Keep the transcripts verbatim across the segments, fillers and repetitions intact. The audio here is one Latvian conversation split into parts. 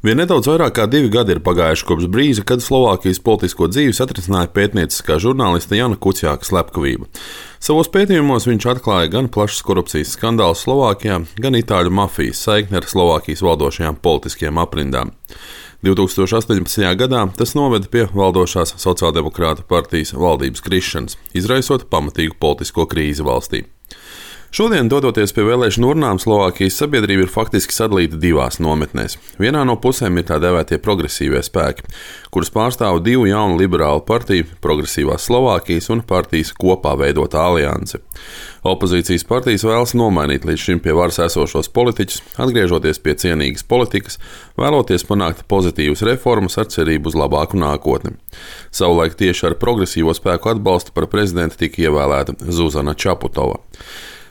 Vien nedaudz vairāk kā divi gadi ir pagājuši kopš brīža, kad Slovākijas politisko dzīvi satrisināja pētnieciskā žurnāliste Jana Kuciaka slepkavība. Savos pētījumos viņš atklāja gan plašas korupcijas skandālus Slovākijā, gan itāļu mafijas saikni ar Slovākijas valdošajām politiskajām aprindām. divi tūkstoši astoņpadsmitajā gadā tas noveda pie valdošās Sociāldemokrātu partijas valdības krišanas, izraisot pamatīgu politisko krīzi valstī. Šodien, dodoties pie vēlēšanu urnām, Slovākijas sabiedrība ir faktiski sadalīta divās nometnēs. Vienā no pusēm ir tā dēvētie progresīvie spēki, kurus pārstāv divu jaunu liberālu partiju, Progresīvās Slovākijas un partijas kopā veidotā alianse. Opozīcijas partijas vēlas nomainīt līdz šim pie varas esošos politiķus, atgriežoties pie cienīgas politikas, vēloties panākt pozitīvas reformas ar cerību uz labāku nākotni. Savulaik tieši ar progresīvo spēku atbalstu par prezidentu tika ievēlēta Zuzana Čaputova.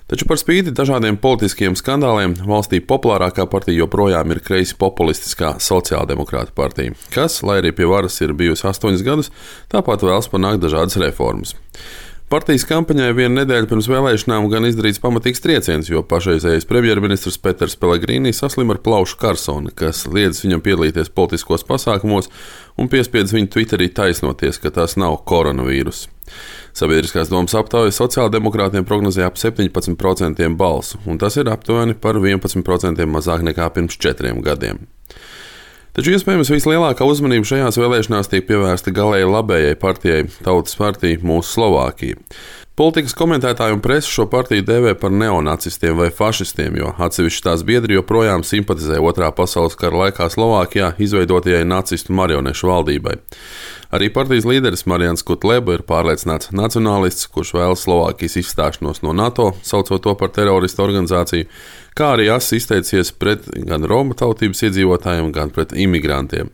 Taču par spīti dažādiem politiskiem skandāliem valstī populārākā partija joprojām ir kreisi populistiskā Sociāldemokrātu partija, kas, lai arī pie varas ir bijusi astoņus gadus, tāpat vēlas panākt dažādas reformas. Partijas kampaņai vienu nedēļu pirms vēlēšanām gan izdarīts pamatīgs trieciens, jo pašreizējais premjerministrs Peters Pellegrini saslim ar plaušu karsoni, kas liedz viņam piedalīties politiskos pasākumos un piespiedz viņu Twitterī taisnoties, ka tas nav koronavīruss. Sabiedriskās domas aptauja sociāldemokrātiem prognozēja ap septiņpadsmit procentiem balsu, un tas ir aptuveni par vienpadsmit procentiem mazāk nekā pirms četriem gadiem. Taču iespējams vislielākā uzmanība šajās vēlēšanās tiek pievērsta galēji labējai partijai Tautas partija Mūsu Slovākija. Politikas komentētāji un presa šo partiju dēvē par neonacistiem vai fašistiem, jo atsevišķi tās biedri joprojām simpatizē Otrā pasaules kara laikā Slovākijā izveidotajai nacistu marionešu valdībai. Arī partijas līderis Marians Kutleba ir pārliecināts nacionālists, kurš vēlas Slovākijas izstāšanos no NATO, saucot to par teroristu organizāciju, kā arī asi izteicies pret gan Romu tautības iedzīvotājiem, gan pret imigrantiem.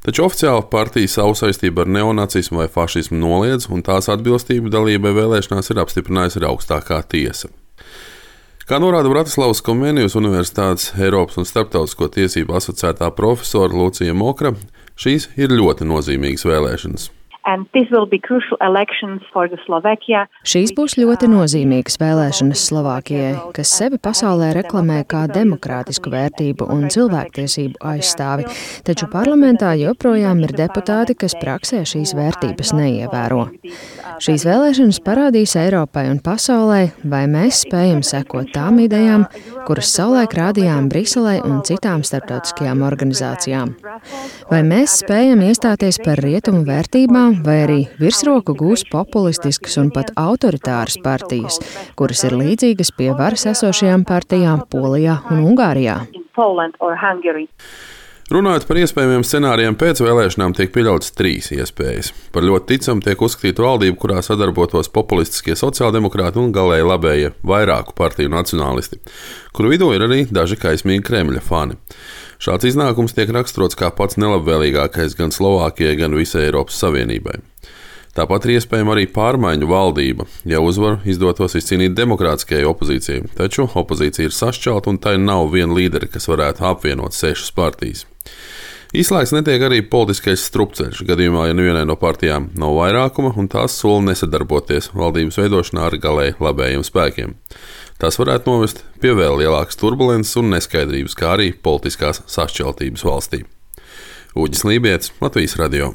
Taču oficiāli partija savu saistību ar neonacismu vai fašismu noliedz, un tās atbilstību dalībai vēlēšanās ir apstiprinājusi arī augstākā tiesa. Kā norāda Bratislavas Komēnijas Universitātes Eiropas un Starptautisko tiesību asociētā profesora Lucija Mokra, šīs ir ļoti nozīmīgas vēlēšanas. Šīs būs ļoti nozīmīgas vēlēšanas Slovākijai, kas sevi pasaulē reklamē kā demokrātisku vērtību un cilvēktiesību aizstāvi, taču parlamentā joprojām ir deputāti, kas praksē šīs vērtības neievēro. Šīs vēlēšanas parādīs Eiropai un pasaulē, vai mēs spējam sekot tām idejām, kuras savulaik rādījām Briselei un citām starptautiskajām organizācijām. Vai mēs spējam iestāties par rietumu vērtībām, vai arī virsroku gūs populistiskas un pat autoritāras partijas, kuras ir līdzīgas pie varas esošajām partijām Polijā un Ungārijā. Runājot par iespējamiem scenārijiem pēc vēlēšanām, tiek pieļautas trīs iespējas. Par ļoti ticamu tiek uzskatīta valdība, kurā sadarbotos populistiskie sociāldemokrāti un galēji labējie vairāku partiju nacionālisti, kuru vidū ir arī daži kaismīgi Kremļa fani. Šāds iznākums tiek raksturots kā pats nelabvēlīgākais gan Slovākijai, gan visai Eiropas Savienībai. Tāpat ir iespējama arī pārmaiņu valdība, ja uzvaru izdotos izcīnīt demokrātiskajai opozīcijai, taču opozīcija ir sašķelta un tai nav viena līderi, kas varētu apvienot sešas partijas. Izslēgts netiek arī politiskais strupceļš, gadījumā, ja nevienai no partijām nav vairākuma un tās sola nesadarboties valdības veidošanā ar galēji labējiem spēkiem. Tas varētu novest pie vēl lielākas turbulences un neskaidrības, kā arī politiskās sašķeltības valstī. Uģis Lībietis, Latvijas radio.